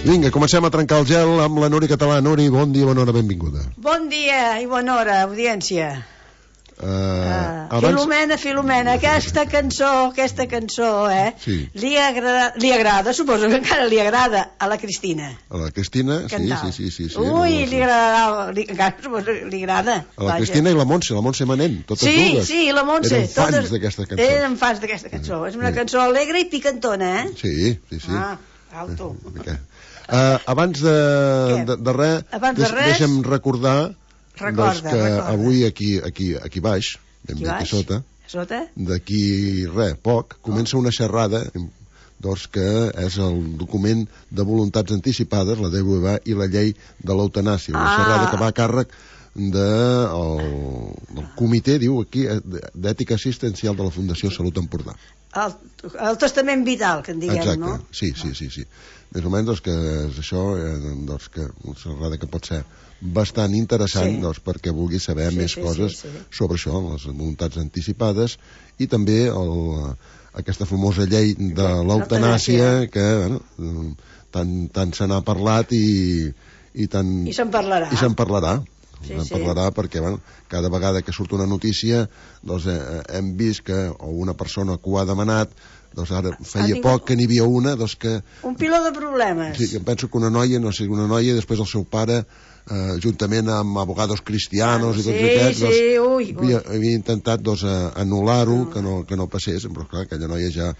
Vinga, comencem a trencar el gel amb la Núria Català. Núria, bon dia, bona hora, benvinguda. Bon dia i bona hora, audiència. Filomena, aquesta cançó, Sí. li agrada, suposo que encara li agrada a la Cristina. A la Cristina, Cantal. sí. Ui, li agrada, encara suposo que li agrada. A la Cristina i la Montse Manent, totes dues. Sí, la Montse. Eren fans d'aquesta cançó. Eren fans d'aquesta cançó. És una cançó alegre i picantona, Sí. Alto. Abans de res, deixa'm recordar que avui aquí baix, ben bé aquí sota, d'aquí poc, comença una xerrada que és el document de voluntats anticipades, la DVA i la llei de l'eutanàsia, una xerrada que va a càrrec del comitè, diu aquí, d'ètica assistencial de la Fundació Salut Empordà. El testament vital, que en diguem, exacte, no? Sí. Més o menys que és això, que una xerrada que pot ser bastant interessant perquè vulgui saber més coses sobre això, les voluntats anticipades, i també aquesta famosa llei de l'eutanàsia que tant se n'ha parlat i se'n parlarà. Se'n parlarà perquè cada vegada que surt una notícia hem vist que una persona que ho ha demanat, ara feia poc que n'hi havia una que... Un piló de problemes. Sí, em penso que una noia, després el seu pare, juntament amb abogados cristianos i tots aquests, havia intentat anul·lar-ho, que no passés, però clar, aquella noia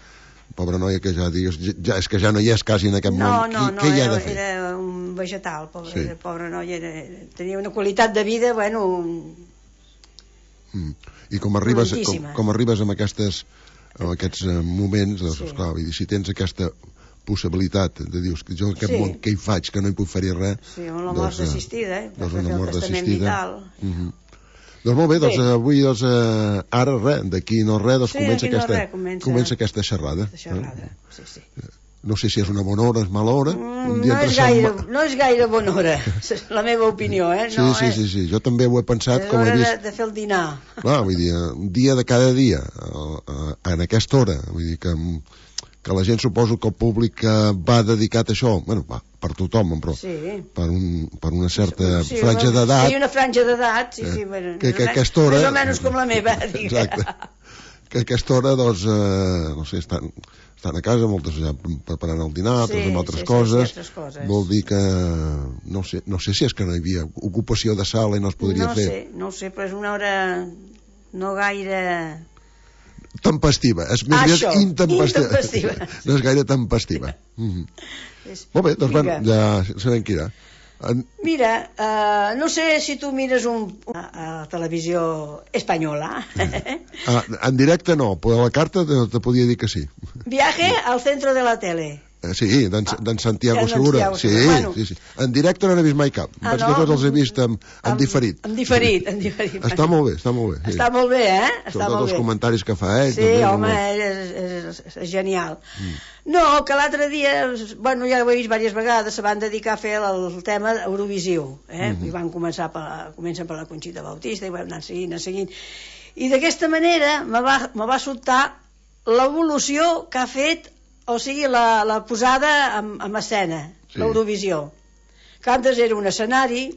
pobra noia que és que ja no hi és quasi en aquest món. Què hi ha de fer? Era un vegetal, pobra noia, tenia una qualitat de vida, I com arribes amb aquests moments, clar, si tens aquesta possibilitat de dir que jo en aquest món què hi faig, que no hi puc fer-hi res, amb la mort assistida, una mort assistida. Doncs molt bé, avui ara d'aquí no res comença aquesta xerrada. No sé si és una bona hora o és mala hora. No és gaire bona hora, la meva opinió, Sí, jo també ho he pensat. És hora de fer el dinar. Clar, vull dir, un dia de cada dia, en aquesta hora, vull dir que la gent, suposo que el públic va dedicat a això, per tothom, però per una certa franja d'edat. Sí, una franja d'edat, que aquesta hora... Més o menys com la meva, exacte. Que a aquesta hora, no sé, estan a casa, moltes ja preparant el dinar, altres amb altres coses. Vol dir que no sé si és que no hi havia ocupació de sala i no es podria fer. No ho sé, però és una hora no gaire... tempestiva, és més aviat intempestiva. No és gaire tempestiva. Molt bé, doncs ja sabem qui era. Mira, no sé si tu mires a televisió espanyola. En directe no, però a la carta te podia dir que sí. Viaje al centro de la tele. Sí, d'en Santiago Segura. Sí. En directe no n'he vist mai cap. Vaig que tots els he vist en diferit. En diferit. Està molt bé. Està molt bé, Sobretot els comentaris que fa ell. Sí, home, és genial. No, que l'altre dia, ja ho he vist diverses vegades, se van dedicar a fer el tema Eurovisiu. I van comencen per la Conxita Bautista i van anar seguint. I d'aquesta manera me va sobtar l'evolució que ha fet, o sigui, la posada en escena, l'Eurovisió. Que antes era un escenari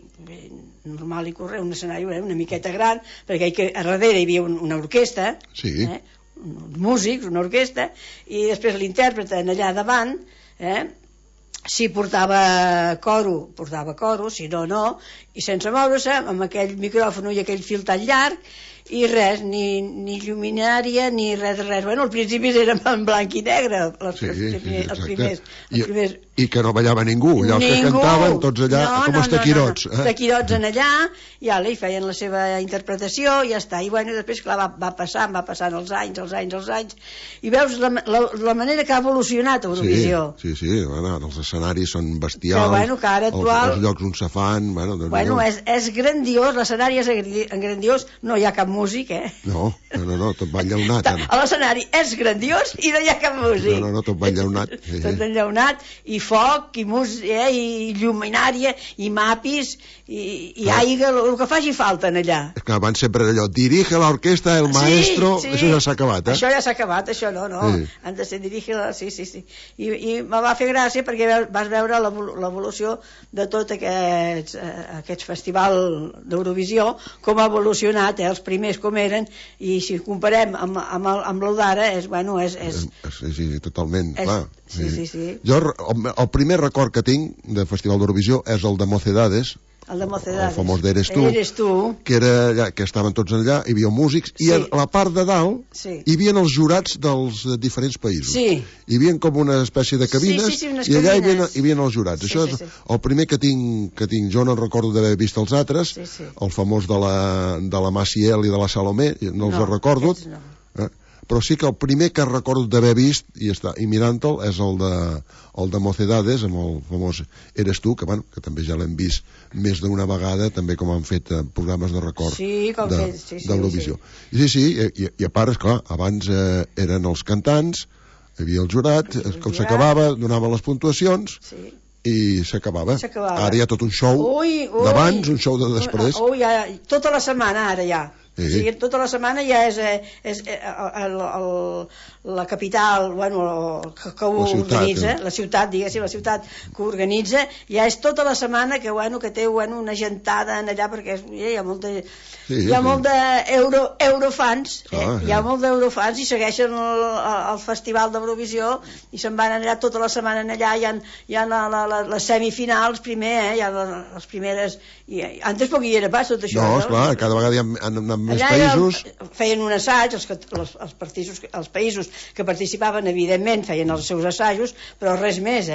normal i corrent, un escenari una miqueta gran, perquè a darrere hi havia una orquestra, uns músics, una orquestra, i després l'intèrpret allà davant, si portava coro, si no, i sense moure-se, amb aquell micròfon i aquell fil tan llarg, i res, ni lluminària ni res de res. Al principi eren en blanc i negre els primers. I que no ballava ningú, allò que cantaven tots allà com els taquirots. Taquirots en allà, i feien la seva interpretació i ja està. I després, clar, va passant els anys, i veus la manera que ha evolucionat Eurovisió. Sí, els escenaris són bestials, els llocs on se fan... És grandiós, l'escenari és grandiós, no hi ha cap músic, No, tot va enllaunat. L'escenari és grandiós i no hi ha cap músic. No, tot va enllaunat. Tot enllaunat i foc, i lluminària, i mapis, i aigua, el que faci falta allà. És que abans sempre allò, dirige l'orquestra, el maestro, això ja s'ha acabat, Això ja s'ha acabat, això no. Han de ser dirige, sí. I me va fer gràcia perquè vas veure l'evolució de tot aquest festival d'Eurovisió, com ha evolucionat, els primers com eren, i si comparem amb el d'ara, Sí, totalment, clar. Sí. Jo, el primer record que tinc del Festival d'Eurovisió és el de Mocedades, el famós d'Eres tu, que estaven tots allà, hi havia músics, i a la part de dalt hi havia els jurats dels diferents països. Hi havia com una espècie de cabines, i allà hi havia els jurats. Això és el primer que tinc. Jo no recordo d'haver vist els altres, el famós de la Maciel i de la Salomé, no els recordo, però sí que el primer que recordo d'haver vist i mirant-te'l és el de Mocedades, amb el famós Eres tu, que també ja l'hem vist més d'una vegada, també com han fet programes de record d'Eurovisió. I a part, esclar, abans eren els cantants, hi havia el jurat, com s'acabava, donaven les puntuacions i s'acabava. Ara hi ha tot un show d'abans, un show de després. Tota la setmana ara ja. Tota la setmana ja és la capital que ho organitza, la ciutat, diguéssim, la ciutat que ho organitza, ja és tota la setmana que té una gentada allà, perquè hi ha molt d'eurofans, hi ha molt d'eurofans i segueixen el festival d'Eurovisió i se'n van allà tota la setmana allà, hi ha les semifinals primer, hi ha les primeres, antes poc hi era pas tot això. No, esclar, cada vegada hi ha més països. Feien un assaig, els països que participaven, evidentment, feien els seus assajos, però res més,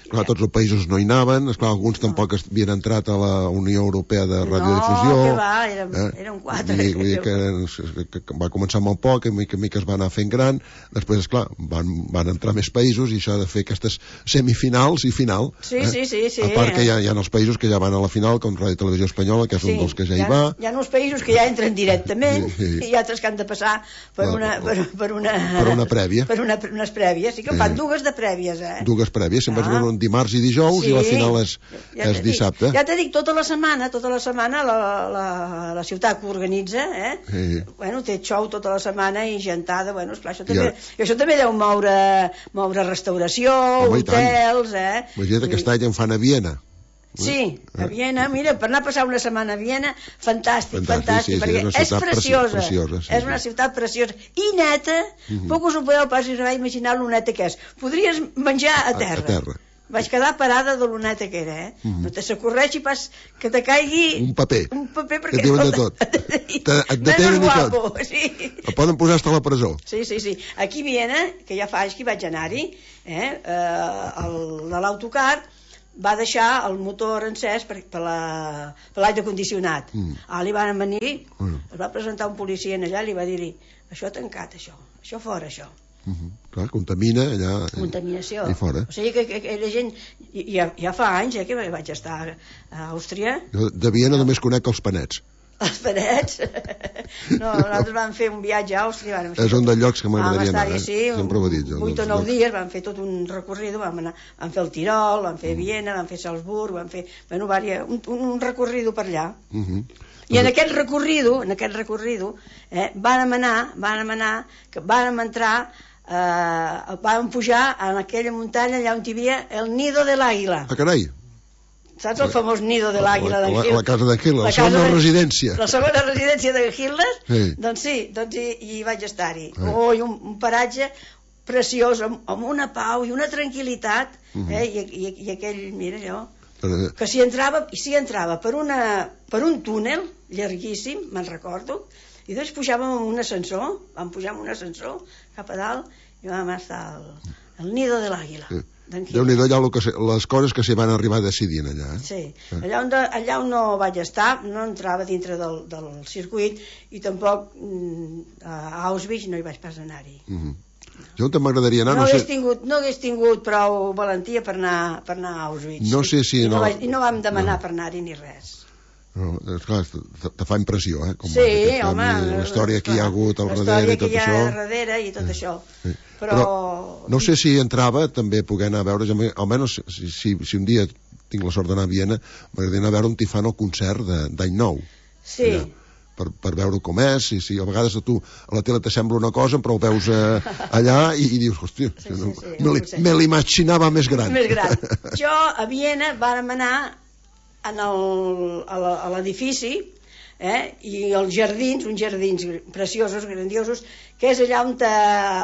Clar, tots els països no hi anaven, esclar, alguns tampoc havien entrat a la Unió Europea de Radiodifusió. No, que va, eren 4. Vull dir que va començar molt poc, mica es va anar fent gran, després, esclar, van entrar més països i això ha de fer aquestes semifinals i final. Sí. A part que hi ha els països que ja van a la final, com Ràdio Televisió Espanyola, que és un dels que ja hi va. Hi ha uns països que ja entren directament i altres que han de passar per una prèvia. Per unes prèvies, sí que fan dues de prèvies, Dues prèvies, se'n vaig veure un dimarts i dijous i la final és dissabte. Ja t'he dit, tota la setmana la ciutat que organitza, té show tota la setmana i gentada, esclar, això també deu moure restauració, hotels, Imagina't aquest any en fan a Viena. Sí, a Viena, mira, per anar a passar una setmana a Viena, fantàstic, perquè és preciosa, és una ciutat preciosa i neta, poc us ho podeu pas imaginar lo neta que és. Podries menjar a terra. Vaig quedar parada de lo neta que era, no te s'ocorreixi pas que te caigui un paper perquè et diuen de tot, et detenen i tot, el poden posar fins a la presó. Sí, aquí a Viena, que ja fa anys que vaig anar-hi, de l'autocar va deixar el motor encès per l'aire condicionat. Li van venir, es va presentar un policia allà i li va dir-hi, això tancat, això fora, això. Clar, contamina allà. Contaminació. I fora. O sigui que aquella gent, ja fa anys que vaig estar a Àustria. Jo de Viena només conec els panets. Els panets? No, nosaltres vam fer un viatge a Àustria. És un dels llocs que m'agradaria anar. Sempre ho he dit. 8 o 9 dies, vam fer tot un recorrido, vam fer el Tirol, vam fer Viena, vam fer Salzburg, vam fer un recorrido per allà. I en aquest recorrido vàrem entrar, vam pujar en aquella muntanya allà on hi havia el Nido de l'Àguila. Carai! Saps el famós Nido de l'Àguila d'en Hitler? La casa d'en Hitler, la segona residència. La segona residència d'en Hitler? Doncs hi vaig estar-hi. Un paratge preciós, amb una pau i una tranquil·litat, i aquell, mira allò, que s'hi entrava per un túnel llarguíssim, me'n recordo, i després pujàvem amb un ascensor, cap a dalt, i vam estar al Nido de l'Àguila. Déu-n'hi-do allà les coses que s'hi van arribar a decidir allà. Sí, allà on no vaig estar, no entrava dintre del circuit i tampoc a Auschwitz no hi vaig pas anar-hi. Jo on m'agradaria anar... No hagués tingut prou valentia per anar a Auschwitz. No sé si... I no vam demanar per anar-hi ni res. Esclar, te fa impressió, Sí, home... La història que hi ha hagut al darrere i tot això. La història que hi ha darrere i tot això. Però no sé si entrava també poder anar a veure, almenys si un dia tinc la sort d'anar a Viena, m'agradaria anar a veure un Tifano concert d'any nou. Sí. Per veure com és, i a vegades a tu a la tele t'assembla una cosa, però ho veus allà i dius, hòstia, me l'imaginava més gran. Més gran. Jo a Viena vàrem anar a l'edifici, i els jardins, uns jardins preciosos, grandiosos, que és allà on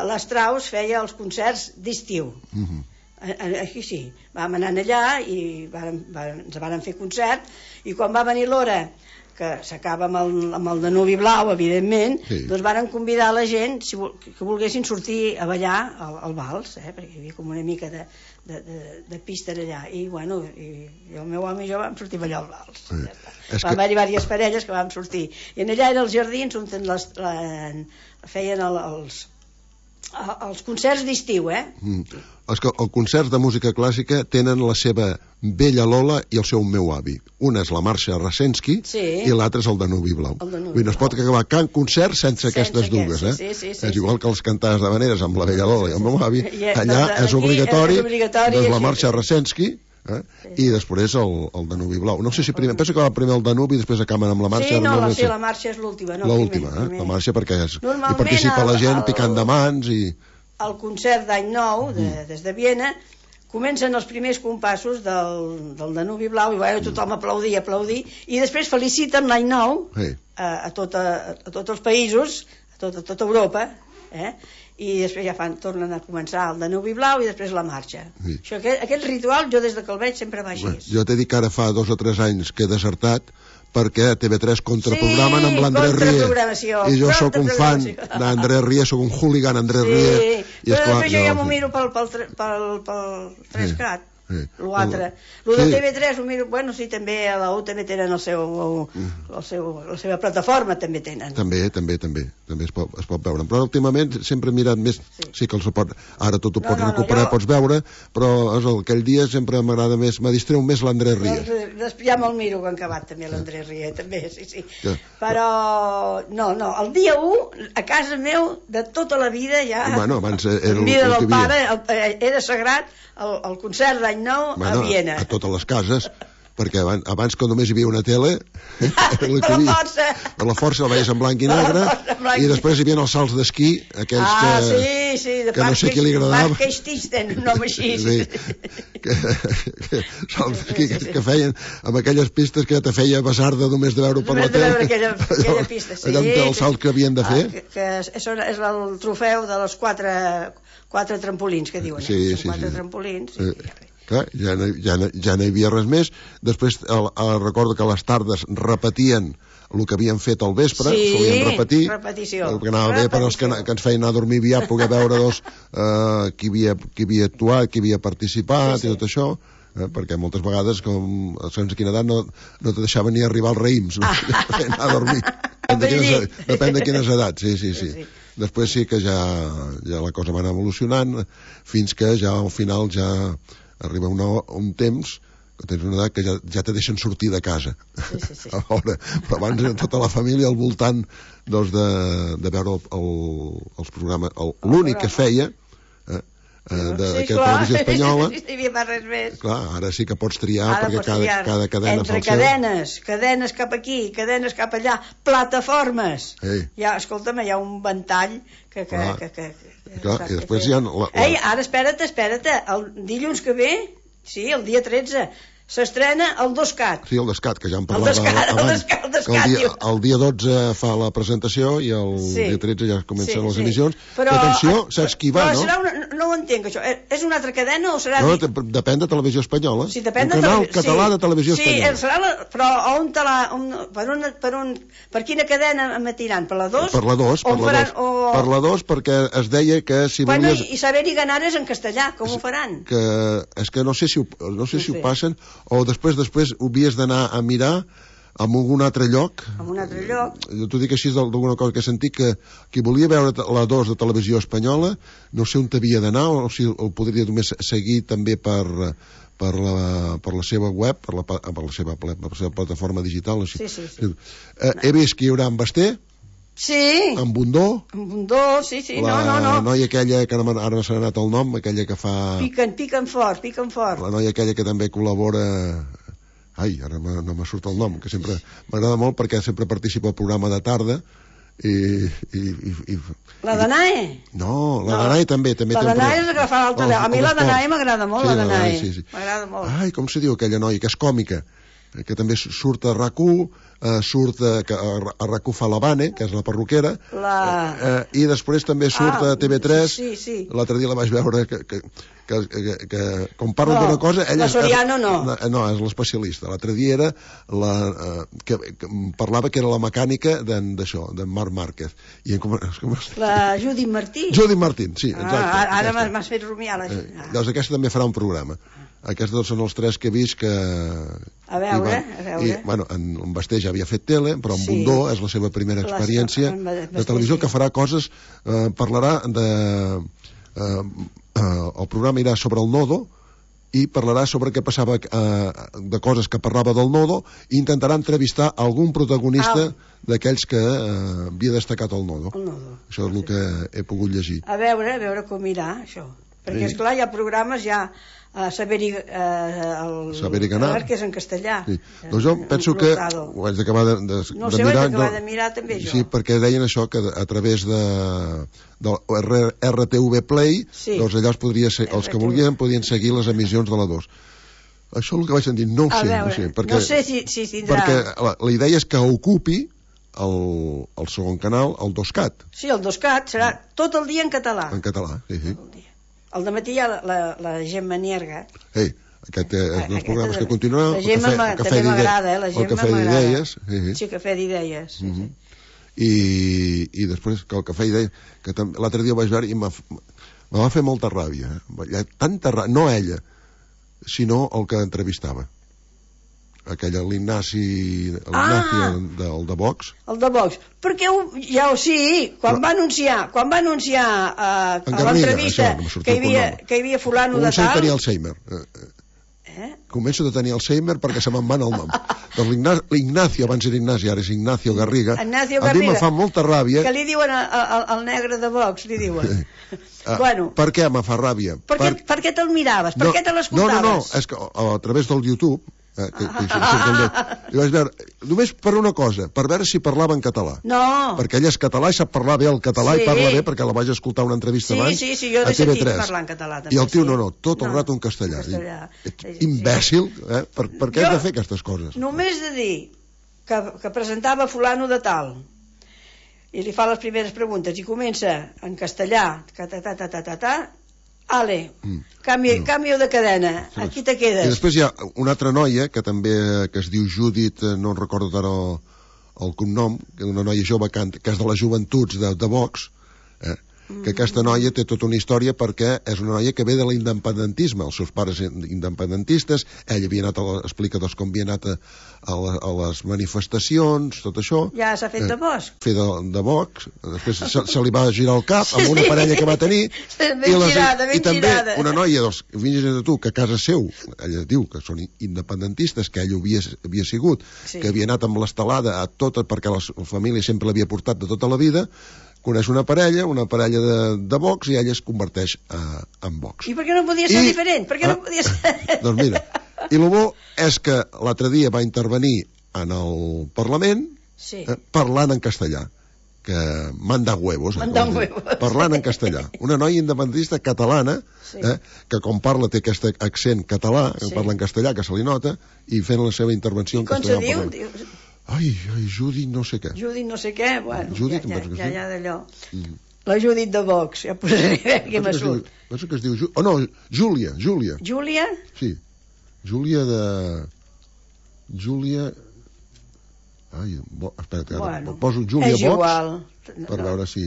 l'Strauss feia els concerts d'estiu. Aquí sí, vam anar allà i ens varen fer concert, i quan va venir l'hora que s'acaba amb el Danubi Blau, evidentment, doncs varen convidar la gent que volguessin sortir a ballar al vals, perquè hi havia com una mica de pista allà, i bueno, i el meu home i jo vam sortir a ballar al vals. Va haver-hi diverses parelles que vam sortir, i allà eren els jardins on feien els concerts d'estiu, És que els concerts de música clàssica tenen la seva vella Lola i el seu meu avi. Una és la Marxa Rasensky i l'altra és el Danubi Blau. No es pot acabar cap concert sense aquestes dues. És igual que els cantants d'havaneres amb la vella Lola i el meu avi. Allà és obligatori la Marxa Rasensky i després el Danubi Blau. No sé si primer, penso que va primer el Danubi i després acaben amb la Marxa. Sí, la Marxa és l'última. L'última, la Marxa, perquè hi participa la gent picant de mans i... El concert d'any nou, des de Viena, comencen els primers compassos del Danubi Blau, i tothom aplaudir, i després feliciten l'any nou a tots els països, a tota Europa, i després ja tornen a començar el Danubi Blau i després la marxa. Aquest ritual, jo des que el veig sempre va així. Jo t'he dit que ara fa 2 o 3 anys que he desertat, perquè a TV3 contraprogramen amb l'Andrés Rie, i jo sóc un fan d'Andrés Rie, sóc un hooligan Andrés Rie, i esclar, jo ja m'ho miro pel 3CAT, l'altre. El de TV3 ho miro, bueno, sí, també a la U també tenen la seva plataforma, també tenen. També es pot veure. Però últimament sempre he mirat més, sí que ara tot ho pots recuperar, pots veure, però aquell dia sempre m'agrada més, me distreu més l'Andrés Rie. Ja me'l miro quan acabat també l'Andrés Rie, també, sí. Però, no, el dia 1, a casa meu, de tota la vida ja... Bueno, abans era el vida del pare, era sagrat, el concert d'any nou a Viena. A totes les cases, perquè abans que només hi havia una tele, per la força la veies en blanc i negre, i després hi havia els salts d'esquí, aquells que no sé qui li agradava. Marc Keististen, un home així. Salts d'esquí que feien amb aquelles pistes que ja te feia basarda només de veure per la tele. Només de veure aquella pista, sí. Allà el salt que havien de fer. Que és el trofeu de les 4 trampolins que diuen. Sí. 4 trampolins. Clar, ja no hi havia res més. Després recordo que a les tardes repetien el que havien fet al vespre, solien repetir, perquè anava bé per als que ens feien anar a dormir aviat, poder veure qui havia actuat, qui havia participat i tot això, perquè moltes vegades, com segons quina edat, no te deixaven ni arribar als raïms, anar a dormir. Depèn de quines edats, sí. Després sí que ja la cosa va anar evolucionant, fins que ja al final ja arriba un temps que tens una edat que ja te deixen sortir de casa. Però abans tota la família al voltant de veure els programes, l'únic que es feia d'aquesta televisió espanyola. No hi havia res més. Clar, ara sí que pots triar, perquè cada cadena entre cadenes cap aquí, cadenes cap allà, plataformes. Ja, escolta'm, hi ha un ventall que clar, i després hi ha... Ei, ara espera't, el dilluns que ve, sí, el dia 13, s'estrena el 2CAT. Sí, el 2CAT, que ja en parlava abans. El dia 12 fa la presentació i el dia 13 ja comencen les emissions. Però atenció, saps qui va, no? No ho entenc, això. És una altra cadena o serà... No, depèn de Televisió Espanyola. Sí, depèn de Televisió... Un canal català de Televisió Espanyola. Sí, serà però per quina cadena emetiran? Per la 2? Per la 2, per la 2, perquè es deia que si volies... Bueno, i saber-hi ganares en castellà, com ho faran? És que no sé si ho passen, o després ho havies d'anar a mirar en algun altre lloc. En un altre lloc. Jo t'ho dic així d'alguna cosa que he sentit, que qui volia veure la 2 de Televisió Espanyola, no sé on t'havia d'anar, o si el podria només seguir també per la seva web, per la seva plataforma digital. Sí. He vist que hi haurà en Basté, Sí. En Bundó. En Bundó, sí. La noia aquella, que ara no s'ha anat el nom, aquella que fa... Piquen fort. La noia aquella que també col·labora... Ai, ara no me surt el nom, que sempre m'agrada molt perquè sempre participa al programa de tarda i... La Danae? No, la Danae també. La Danae és la que fa l'altre. A mi la Danae m'agrada molt, la Danae. M'agrada molt. Ai, com se diu aquella noia, que és còmica, que també surt a RAC1, surt a RAC1 fa l'Havane, que és la perruquera, i després també surt a TV3. Sí. L'altre dia la vaig veure que quan parla d'una cosa... La Soriano no. No, és l'especialista. L'altre dia era que parlava que era la mecànica d'això, d'en Marc Márquez. La Judit Martín. Judit Martín, sí, exacte. Ara m'has fet rumiar la gent. Llavors aquesta també farà un programa. Aquests dos són els tres que he vist que... A veure. I, bueno, en Basté ja havia fet tele, però en Bundó és la seva primera experiència de televisió, que farà coses... Parlarà de... El programa irà sobre el nodo i parlarà sobre què passava de coses que parlava del nodo i intentarà entrevistar algun protagonista d'aquells que havia destacat el nodo. Això és el que he pogut llegir. A veure com irà això, perquè esclar hi ha programes ja Saber i Ganar, que és en castellà. Doncs jo penso que ho haig d'acabar de mirar. No sé, ho haig d'acabar de mirar també jo. Sí, perquè deien això, que a través del RTV Play, doncs allà els que volien podien seguir les emissions de la 2. Això és el que vaig sentir, no ho sé. No sé si tindrà... Perquè la idea és que ocupi el segon canal, el 2CAT. Sí, el 2CAT serà tot el dia en català. En català, sí. Al dematí hi ha la Gemma Nierga. Aquest és dels programes que continuarà. La Gemma també m'agrada, la Gemma m'agrada. El Cafè d'Idees. Sí, Cafè d'Idees. I després que el Cafè d'Idees, que l'altre dia ho vaig veure i me va fer molta ràbia. Tanta ràbia, no ella, sinó el que entrevistava. L'Ignacio del de Vox. El de Vox. Perquè quan va anunciar a l'entrevista que hi havia fulano de tal... Començo a tenir Alzheimer. Començo a tenir Alzheimer perquè se me'n van el nom. Doncs l'Ignacio, abans era Ignacio, ara és Ignacio Garriga. A mi me fa molta ràbia... Que li diuen al negre de Vox, li diuen. Per què me fa ràbia? Per què te'l miraves? Per què te l'escoltaves? No, és que a través del YouTube... i vaig veure, només per una cosa, per veure si parlava en català. Perquè ell és català i sap parlar bé el català i parla bé, perquè la vaig escoltar una entrevista abans jo he sentit parlar en català també. I el tio tot el rato en castellà. Imbècil, per què has de fer aquestes coses? Només de dir que presentava fulano de tal i li fa les primeres preguntes i comença en castellà canvio de cadena, aquí te quedes. I després hi ha una altra noia que també es diu Judit, no recordo ara el cognom, que és una noia jove que és de les joventuts de Vox, que aquesta noia té tota una història perquè és una noia que ve de l'independentisme, els seus pares independentistes, ella havia anat explica com havia anat a les manifestacions, tot això. Ja s'ha fet de Vox. Fer de Vox, després se li va girar el cap amb una parella que va tenir i també una noia dels fills de tu, que a casa seu ella diu que són independentistes, que ell havia sigut, que havia anat amb l'estelada a tota, perquè la família sempre l'havia portat de tota la vida, coneix una parella de Vox i ella es converteix en Vox. I per què no podia ser diferent? Per què no podia ser... Doncs mira, i el bo és que l'altre dia va intervenir en el Parlament parlant en castellà, que manda huevos, parlant en castellà. Una noia independentista catalana, que com parla té aquest accent català, parla en castellà, que se li nota, i fent la seva intervenció en castellà. I com se diu? Ai, Judit no sé què. Judit no sé què, bueno, Judit, ja d'allò. La Judit de Vox, ja posaré què m'ha surt. Penso que es diu... Oh, no, Júlia. Júlia? Sí. Júlia de... Júlia... Ai, espera, ara poso Júlia Vox per veure si...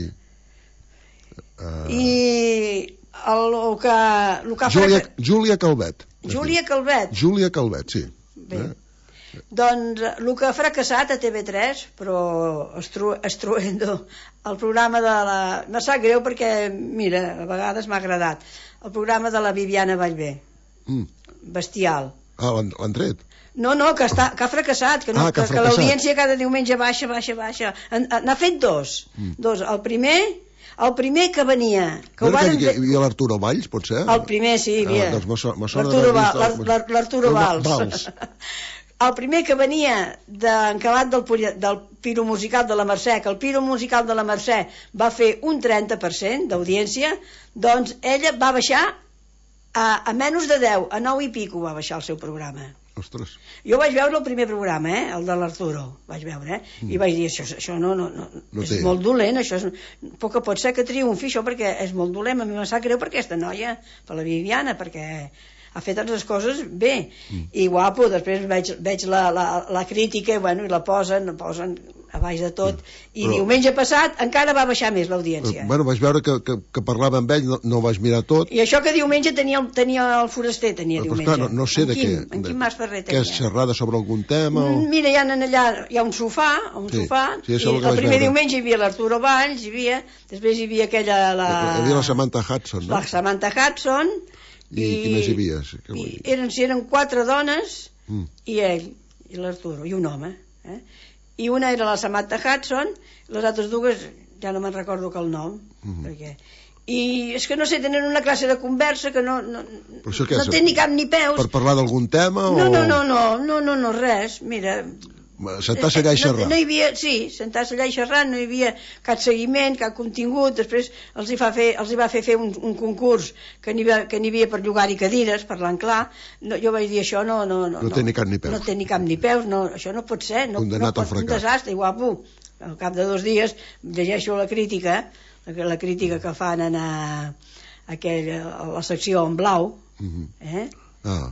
I el que... Júlia Calvet. Júlia Calvet, sí. Bé. Doncs el que ha fracassat a TV3, però Estruendo, el programa de la... Me sap greu perquè, mira, a vegades m'ha agradat, el programa de la Viviana Vallvé, bestial. Ah, l'han tret? No, que ha fracassat, que l'audiència cada diumenge baixa. N'ha fet dos. El primer que venia... Hi havia l'Arturo Valls, pot ser? El primer, sí, hi havia. L'Arturo Valls. El primer que venia d'encabat del Piro Musical de la Mercè, que el Piro Musical de la Mercè va fer un 30% d'audiència, doncs ella va baixar a menys de 10, a 9 i pico va baixar el seu programa. Ostres. Jo vaig veure el primer programa, el de l'Arturo, vaig veure, i vaig dir, això no és molt dolent, això poc pot ser que triomfi això, perquè és molt dolent, a mi em sap greu per aquesta noia, per la Viviana, perquè ha fet totes les coses bé, i guapo. Després veig la crítica, i la posen a baix de tot, i diumenge passat encara va baixar més l'audiència. Vaig veure que parlava amb ell, no ho vaig mirar tot. I això que diumenge tenia el Foraster, diumenge. Clar, no sé de què. En Quim Mas Ferrer tenia. Que és xerrada sobre algun tema? Mira, hi ha un sofà, i el primer diumenge hi havia l'Arturo Valls, després hi havia aquella... Hi havia la Samantha Hudson, no? La Samantha Hudson. I qui més hi havia? Eren 4 dones, i ell, i l'Arturo, i un home. I una era la Samantha Hudson, les altres dues ja no me'n recordo que el nom, i és que no sé, tenen una classe de conversa que no té ni cap ni peus. Per parlar d'algun tema? No, res, mira... Sentar-se allà i xerrar. No hi havia, sí, sentar-se allà i xerrar, no hi havia cap seguiment, cap contingut. Després els hi va fer un concurs que n'hi havia per llogar-hi cadires, parlant clar. Jo vaig dir, això no té ni cap ni peus. No té ni cap ni peus, això no pot ser. Condemnat al fracàs. Un desastre, guapo. Al cap de 2 dies llegeixo la crítica que fan a la secció en blau, del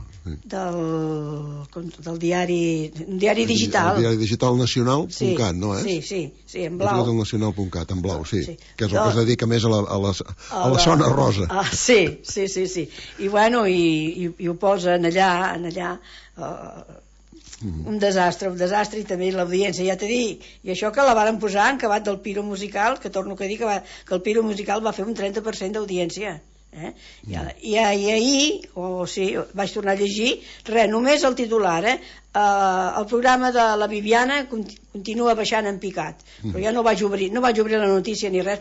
diari digital. El diari digital nacional.cat, no és? Sí, en blau. El nacional.cat, en blau, sí. Que és el que es dedica més a la zona rosa. Sí. I ho posen allà, un desastre, i també l'audiència, ja t'he dit, i això que la varen posar en acabat del Piro Musical, que torno a dir que el Piro Musical va fer un 30% d'audiència. I ahir vaig tornar a llegir només el titular, el programa de la Viviana continua baixant en picat, però ja no vaig obrir la notícia ni res,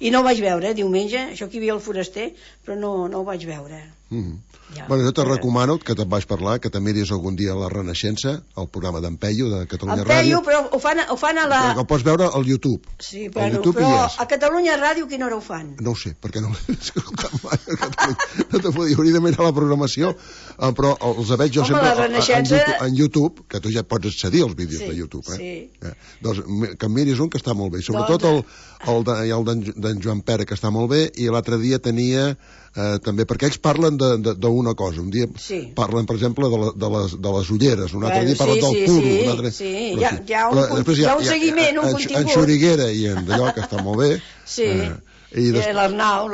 i no ho vaig veure diumenge, això que hi havia el Foraster, però no ho vaig veure. Jo te recomano que te'n vaig parlar, que te miris algun dia La Renaixença, el programa d'en Peyu de Catalunya Ràdio. Però ho fan a la... Ho pots veure al YouTube. Sí, però a Catalunya Ràdio quina hora ho fan? No ho sé, perquè no l'he escoltat mai a Catalunya. No te podia, hauria de mirar la programació, però els veig jo sempre en YouTube, que tu ja pots accedir als vídeos de YouTube. Doncs que miris un que està molt bé, sobretot el d'en Joan Pere, que està molt bé, i l'altre dia tenia també, perquè ells parlen d'una cosa. Un dia parlen, per exemple, de les ulleres, un altre dia parlen del puro. Hi ha un seguiment, un contingut. En Xuriguera i en d'allò, que està molt bé. Sí. L'Arnau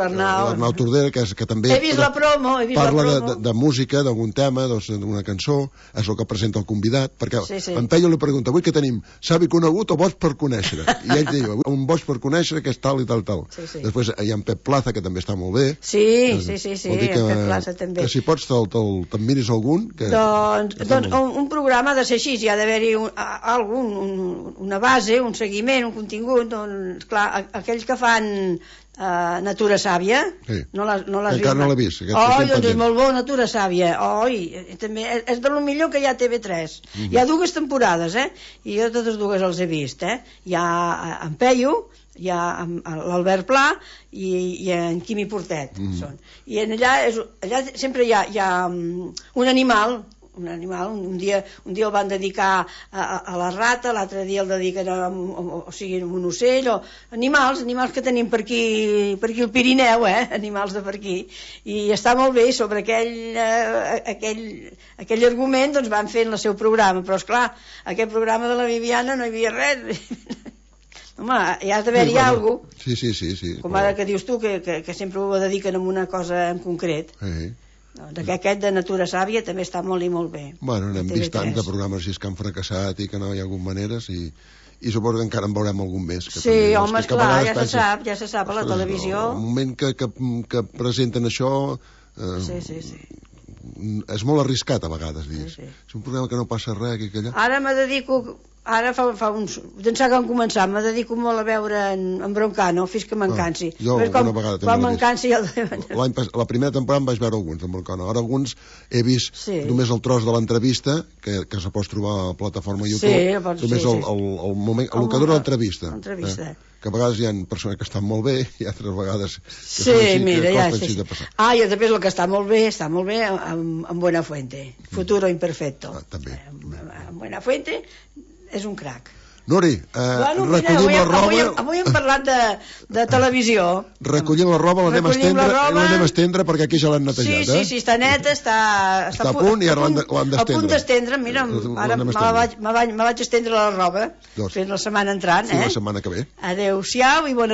Tordera, que també he vist la promo, parla de música, d'algun tema, d'una cançó, és el que presenta el convidat, perquè en Peyu li pregunta, avui què tenim? Savi conegut o boig per conèixer? I ell diu, un boig per conèixer que és tal i tal. Després hi ha en Pep Plaza, que també està molt bé. Sí, en Pep Plaza també. Que si pots te'n miris algun. Doncs un programa de ser així, hi ha d'haver-hi una base, un seguiment, un contingut, doncs clar, aquells que fan Natura Sàvia, no l'has vist? Encara no l'he vist. Doncs és molt bo, Natura Sàvia. També és de lo millor que hi ha a TV3. Hi ha 2 temporades, i jo totes 2 els he vist. Hi ha en Peyu, hi ha l'Albert Pla i en Quimi Portet. I allà sempre hi ha un animal. Un dia el van dedicar a la rata, l'altre dia el dediquen a un ocell, o animals que tenim per aquí al Pirineu, animals de per aquí, i està molt bé. Sobre aquell argument doncs van fent el seu programa, però esclar, aquell programa de la Viviana no hi havia res. Home, hi ha d'haver-hi alguna cosa. Sí. Com ara que dius tu, que sempre ho dediquen a una cosa en concret. Aquest de Natura Sàvia també està molt i molt bé. N'hem vist tants de programes que han fracassat i que no hi ha hagut maneres, i suposo que encara en veurem algun més. Sí, home, esclar, ja se sap a la televisió. El moment que presenten això, és molt arriscat a vegades dir, és un programa que no passa res aquí, allà. Ara me dedico, ara fa uns, d'ençà que han començat, me dedico molt a veure en Broncano, fins que me'n cansi. Jo alguna vegada també quan me'n cansi la primera temporada em vaig veure alguns en Broncano, ara alguns he vist només el tros de l'entrevista que se pot trobar a la plataforma YouTube, només el moment, el que dura l'entrevista, que a vegades hi ha persones que estan molt bé i altres vegades mira, ja sé. I després el que està molt bé en Buenafuente, Futuro Imperfecto, també en Buenafuente és un crac. Nori, recollim la roba. Avui hem parlat de televisió. Recollim la roba, l'anem a estendre perquè aquí ja l'han netejat. Sí, està neta, està a punt i ara l'han d'estendre. A punt d'estendre, mira, ara me vaig estendre la roba, fent la setmana entrant. La setmana que ve. Adéu-siau i bona